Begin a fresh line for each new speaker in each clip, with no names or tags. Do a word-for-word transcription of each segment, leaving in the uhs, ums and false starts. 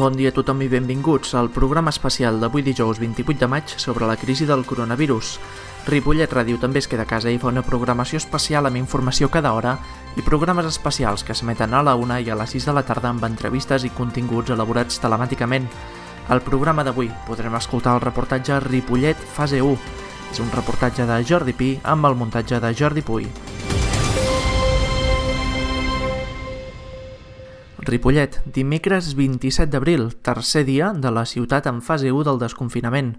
Bon dia a tothom i benvinguts al programa especial d'avui dijous vint-i-vuit de maig sobre la crisi del coronavirus. Ripollet Ràdio també es queda a casa i fa una programació especial amb informació cada hora i programes especials que s'emeten a la una i a les sis de la tarda amb entrevistes i continguts elaborats telemàticament. Al programa d'avui podrem escoltar el reportatge Ripollet Fase u. És un reportatge de Jordi Pi amb el muntatge de Jordi Puy. Ripollet, dimecres vint-i-set d'abril, tercer dia de la ciutat en fase u del desconfinament.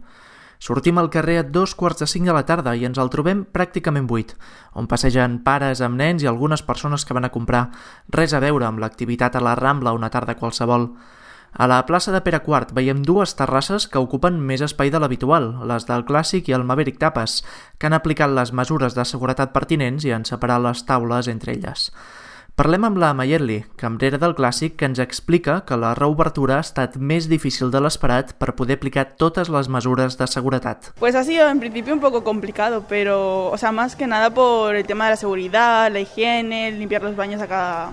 Sortim al carrer a dos quarts de cinc de la tarda i ens el trobem pràcticament buit, on passegen pares amb nens i algunes persones que van a comprar. Res a veure amb l'activitat a la Rambla una tarda qualsevol. A la plaça de Pere quart veiem dues terrasses que ocupen més espai de l'habitual, les del Clàssic i el Maverick Tapas, que han aplicat les mesures de seguretat pertinents i han separat les taules entre elles. Parlem amb la Mayerli, cambrera del Clàssic, que ens explica que la reobertura ha estat més difícil de l'esperat per poder aplicar totes les mesures de seguretat.
Pues ha sido en principio un poco complicado, pero, o sea, más que nada por el tema de la seguridad, la higiene, limpiar los baños a cada,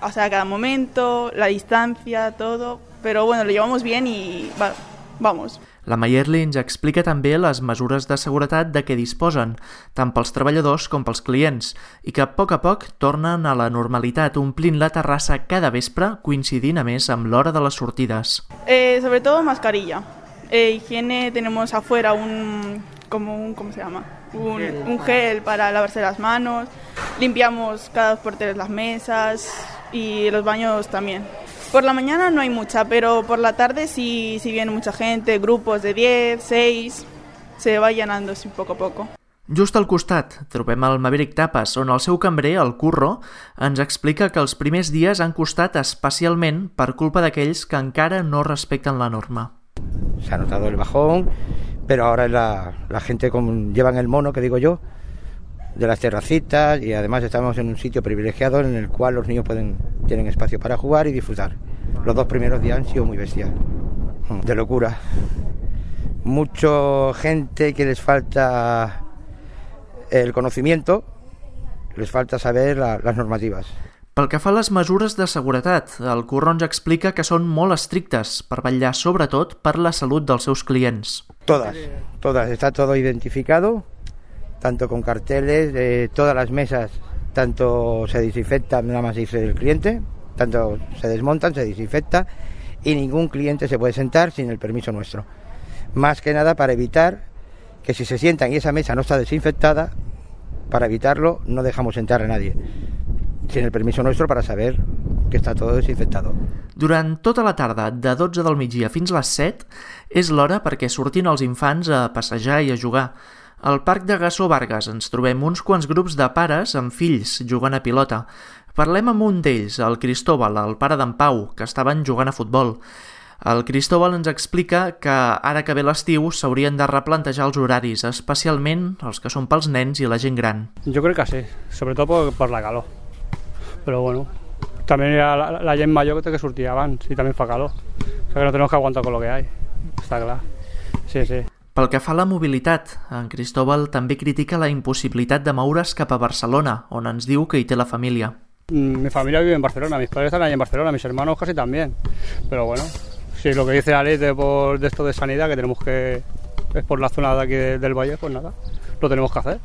o sea, a cada momento, la distancia, todo. Pero bueno, lo llevamos bien y va, vamos.
La Mayerli ens explica també les mesures de seguretat de què disposen, tant pels treballadors com pels clients, i que a poc a poc tornen a la normalitat, omplint la terrassa cada vespre, coincidint a més amb l'hora de les sortides.
Eh, sobre todo mascarilla. Eh, higiene, tenemos afuera un, como un, ¿cómo se llama? Un, un gel para lavarse las manos, limpiamos cada dos por tres las mesas y los baños también. Por la mañana no hay mucha, pero por la tarde sí, sí viene mucha gente, grupos de diez, seis, se va llenando así poco a poco.
Just al costat trobem el Maverick Tapas, on el seu cambrer, el Curro, ens explica que els primers dies han costat especialment per culpa d'aquells que encara no respecten la norma.
Se ha notado el bajón, pero ahora la, la gente con, llevan el mono, que digo yo, de las terracitas, y además estamos en un sitio privilegiado en el cual los niños pueden tienen espacio para jugar y disfrutar. Los dos primeros días han sido muy bestiales, de locura. Mucha gente que les falta el conocimiento, les falta saber la, las normativas.
Pel que fa a les mesures de seguretat, el Curro ens explica que són molt estrictes per vetllar sobretot per la salut dels seus clients.
Todas, todas, está todo identificado, tanto con carteles, eh, todas las mesas, tanto se desinfectan, nada más dice el cliente, tanto se desmontan, se desinfecta y ningún cliente se puede sentar sin el permiso nuestro. Más que nada para evitar que si se sientan y esa mesa no está desinfectada, para evitarlo no dejamos sentar a nadie sin el permiso nuestro para saber que està tot desinfectado.
Durant tota la tarda, de dotze del migdia fins a les set, és l'hora perquè sortin els infants a passejar i a jugar. Al Parc de Gassó Vargas ens trobem uns quants grups de pares amb fills jugant a pilota. Parlem amb un d'ells, el Cristóbal, el pare d'en Pau, que estaven jugant a futbol. El Cristóbal ens explica que ara que ve l'estiu s'haurien de replantejar els horaris, especialment els que són pels nens i la gent gran.
Jo crec que sí, sobretot per, per la calor. Però bueno, també hi ha la, la gent major que té que sortir abans i també fa calor. O sea que no tenemos que aguantar con lo que hay, està clar. Sí, sí.
Pel que fa a la mobilitat, en Cristóbal també critica la impossibilitat de moure's cap a Barcelona, on ens diu que hi té la família.
Mi familia vive en Barcelona, mis padres están ahí en Barcelona, mis hermanos casi también. Pero bueno, si lo que dice la ley de, por, de esto de sanidad, que tenemos que, es por la zona de aquí de, del Valle, pues nada, lo tenemos que hacer,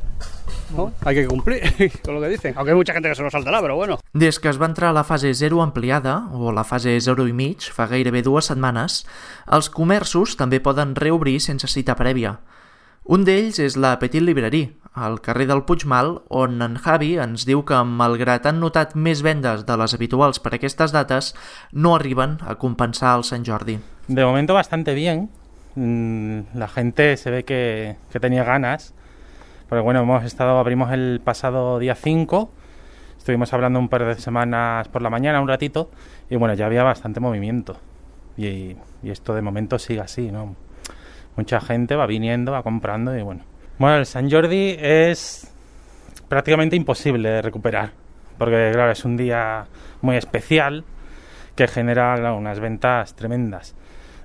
¿no? Hay que cumplir con lo que dicen, aunque hay mucha gente que se lo saltará, pero bueno.
Des que es va entrar a la fase zero ampliada, o la fase zero i mig, fa gairebé dues setmanes, els comerços també poden reobrir sense cita prèvia. Un d'ells és la Petit Librairie, al carrer del Puigmal, on en Javi ens diu que, malgrat han notat més vendes de les habituals per aquestes dates, no arriben a compensar el Sant Jordi.
De momento bastante bien. La gente se ve que, que tenía ganas. Porque bueno, hemos estado, abrimos el pasado día cinco, estuvimos hablando un par de semanas por la mañana, un ratito, y bueno, ya había bastante movimiento. Y, y esto de momento sigue así, ¿no? Mucha gente va viniendo, va comprando y bueno. Bueno, el Sant Jordi es prácticamente imposible de recuperar, porque claro, es un día muy especial que genera, claro, unas ventas tremendas.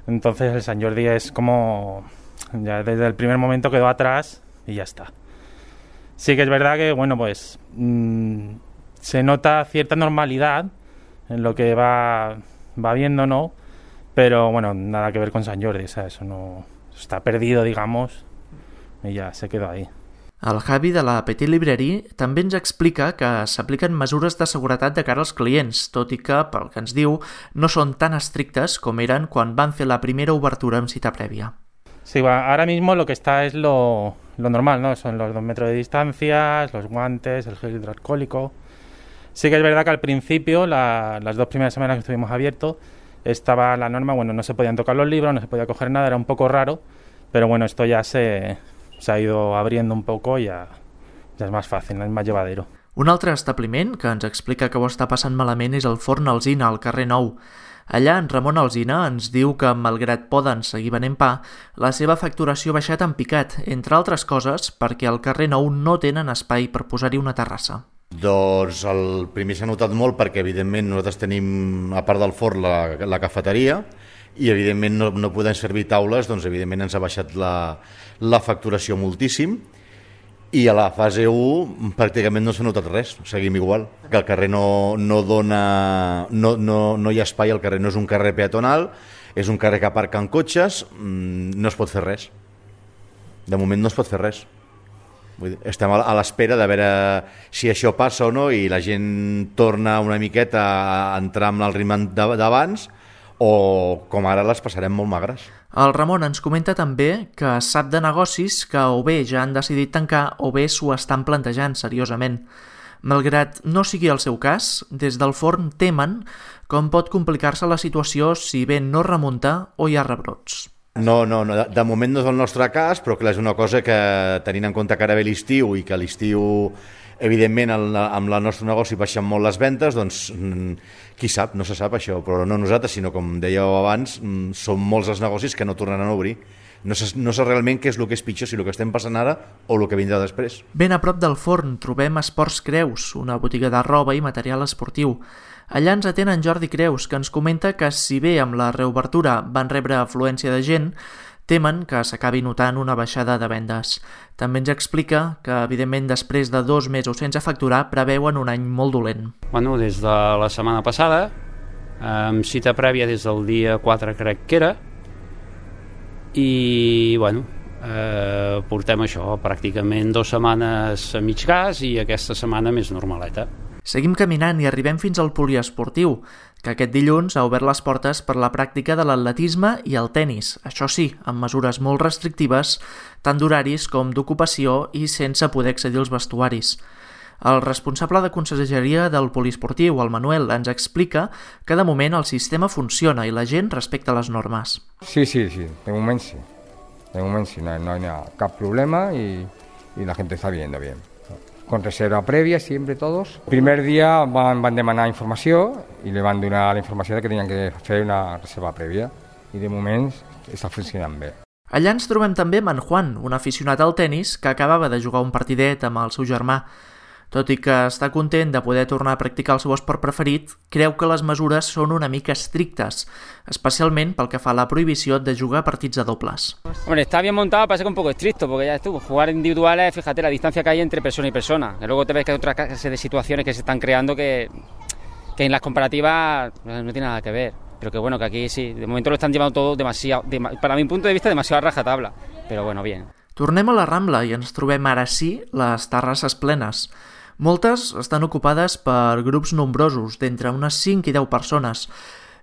Entonces el Sant Jordi es como, ya desde el primer momento quedó atrás y ya está. Sí que es verdad que, bueno, pues mmm, se nota cierta normalidad en lo que va, va viendo, ¿no? pero bueno, nada que ver con Sant Jordi, o sea, eso no está perdido, digamos, y ya se quedó ahí.
El Javi de la Petit Librairie també ens explica que s'apliquen mesures de seguretat de cara als clients, tot i que, pel que ens diu, no són tan estrictes com eren quan van fer la primera obertura amb cita prèvia.
Sí, bueno, ahora mismo lo que está es lo, lo normal, ¿no? Son los dos metros de distancia, los guantes, el gel hidroalcohólico. Sí que es verdad que al principio, la, las dos primeras semanas que estuvimos abiertos, estaba la norma, bueno, no se podían tocar los libros, no se podía coger nada, era un poco raro, pero bueno, esto ya se... se ha ido abriendo un poco i ja, ja és més fàcil, és més llevadero.
Un altre establiment que ens explica que ho està passant malament és el Forn Alzina, al carrer Nou. Allà en Ramon Alzina ens diu que, malgrat poden seguir venent pa, la seva facturació ha baixat en picat, entre altres coses perquè al carrer Nou no tenen espai per posar-hi una terrassa.
Doncs el primer s'ha notat molt perquè, evidentment, nosaltres tenim, a part del forn, la, la cafeteria, i evidentment no, no podem servir taules, doncs evidentment ens ha baixat la, la facturació moltíssim, i a la fase u pràcticament no s'ha notat res, seguim igual, que el carrer no, no dona, no, no, no hi ha espai, el carrer no és un carrer peatonal, és un carrer que aparquen cotxes, no es pot fer res, de moment no es pot fer res. Vull dir, estem a l'espera de veure si això passa o no i la gent torna una miqueta a entrar amb el ritme d'abans, o com ara les passarem molt magres.
El Ramon ens comenta també que sap de negocis que o bé ja han decidit tancar o bé s'ho estan plantejant seriosament. Malgrat no sigui el seu cas, des del forn temen com pot complicar-se la situació si bé no remunta o hi ha rebrots.
No, no, no, de moment no és el nostre cas, però clar, és una cosa que, tenint en compte que ara ve l'estiu i que l'estiu, evidentment, amb el nostre negoci baixen molt les ventes, doncs qui sap, no se sap això, però no nosaltres, sinó com dèieu abans, són molts els negocis que no tornaran a obrir. No sé, no sé realment què és el que és pitjor, si el que estem passant ara o el que vindrà després.
Ben a prop del forn trobem Esports Creus, una botiga de roba i material esportiu. Allà ens atén en Jordi Creus, que ens comenta que si bé amb la reobertura van rebre afluència de gent, temen que s'acabi notant una baixada de vendes. També ens explica que, evidentment, després de dos mesos sense facturar, preveuen un any molt dolent.
Bueno, des de la setmana passada, amb cita prèvia des del dia quatre, crec que era, i, bueno, eh, portem això, pràcticament dues setmanes a mig gas i aquesta setmana més normaleta.
Seguim caminant i arribem fins al poliesportiu, que aquest dilluns ha obert les portes per la pràctica de l'atletisme i el tennis, això sí, amb mesures molt restrictives, tant d'horaris com d'ocupació i sense poder accedir als vestuaris. El responsable de conselleria del poliesportiu, el Manuel, ens explica que de moment el sistema funciona i la gent respecta les normes.
Sí, sí, sí, de moment sí. De moment sí, no, no hi ha cap problema i, i la gent està viendo bien. Con reserva prèvia, sempre tots. El primer dia van, van demanar informació i li van donar la informació de que tenien que fer una reserva prèvia i de moment està funcionant bé.
Allà ens trobem també amb en Juan, un aficionat al tennis que acabava de jugar un partidet amb el seu germà. Tot i que està content de poder tornar a practicar el seu esport preferit, creu que les mesures són una mica estrictes, especialment pel que fa a la prohibició de jugar partits de dobles.
Hombre, está bien montado, parece que un poco estricto, porque ya estuvo. Jugar individuales, fíjate la distancia que hay entre persona y persona. Y luego te ves que hay otra clase de situaciones que se están creando que, que en las comparativas no tiene nada que ver. Pero que bueno, que aquí sí, de momento lo están llevando todo demasiado, de, para mi punto de vista, demasiado a rajatabla. Pero bueno, bien.
Tornem a la Rambla i ens trobem ara sí les terrasses plenes. Moltes estan ocupades per grups nombrosos, d'entre unes cinc i deu persones,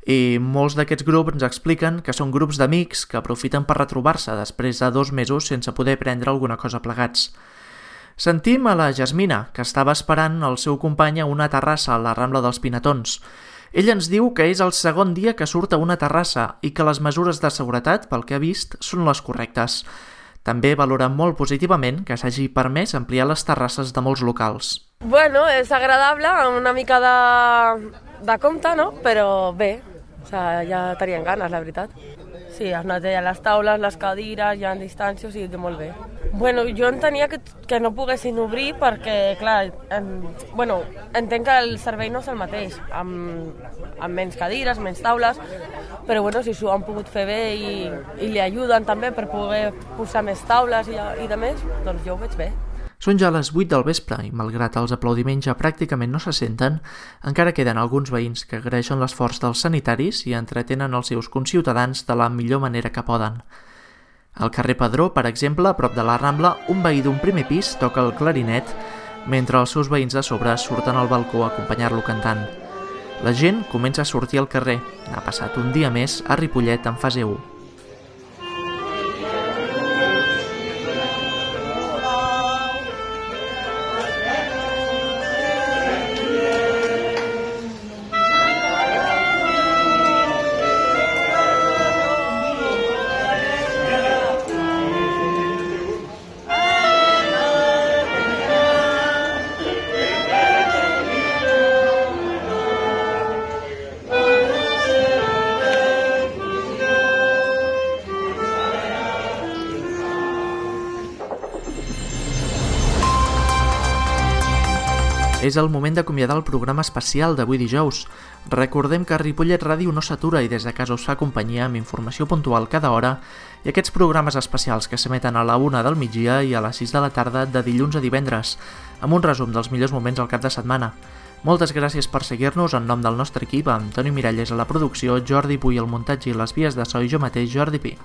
i molts d'aquests grups ens expliquen que són grups d'amics que aprofiten per retrobar-se després de dos mesos sense poder prendre alguna cosa plegats. Sentim a la Jasmina, que estava esperant el seu company a una terrassa a la Rambla dels Pinatons. Ell ens diu que és el segon dia que surt a una terrassa i que les mesures de seguretat, pel que ha vist, són les correctes. També valora molt positivament que s'hagi permès ampliar les terrasses de molts locals.
Bueno, és agradable, una mica de, de compte, no? Però bé, o sea, ja tenien ganes, la veritat. Sí, es netegen les taules, les cadires, hi ha distàncies, sí, molt bé. Bueno, jo entenia que, que no poguessin obrir perquè, clar, en, bueno, entenc que el servei no és el mateix, amb, amb menys cadires, menys taules, però bueno, si s'ho han pogut fer bé i, i li ajuden també per poder posar més taules i, i de més, doncs jo ho veig bé.
Són ja les vuit del vespre i, malgrat els aplaudiments ja pràcticament no se senten, encara queden alguns veïns que agraeixen l'esforç dels sanitaris i entretenen els seus conciutadans de la millor manera que poden. Al carrer Pedró, per exemple, a prop de la Rambla, un veí d'un primer pis toca el clarinet mentre els seus veïns de sobre surten al balcó a acompanyar-lo cantant. La gent comença a sortir al carrer. Ha passat un dia més a Ripollet en fase u. És el moment d'acomiadar el programa especial d'avui dijous. Recordem que Ripollet Ràdio no s'atura i des de casa us fa companyia amb informació puntual cada hora i aquests programes especials que s'emeten a la una del migdia i a les sis de la tarda de dilluns a divendres, amb un resum dels millors moments al cap de setmana. Moltes gràcies per seguir-nos en nom del nostre equip, amb Toni Miralles a la producció, Jordi Puy al muntatge i les vies de so i jo mateix, Jordi Pi.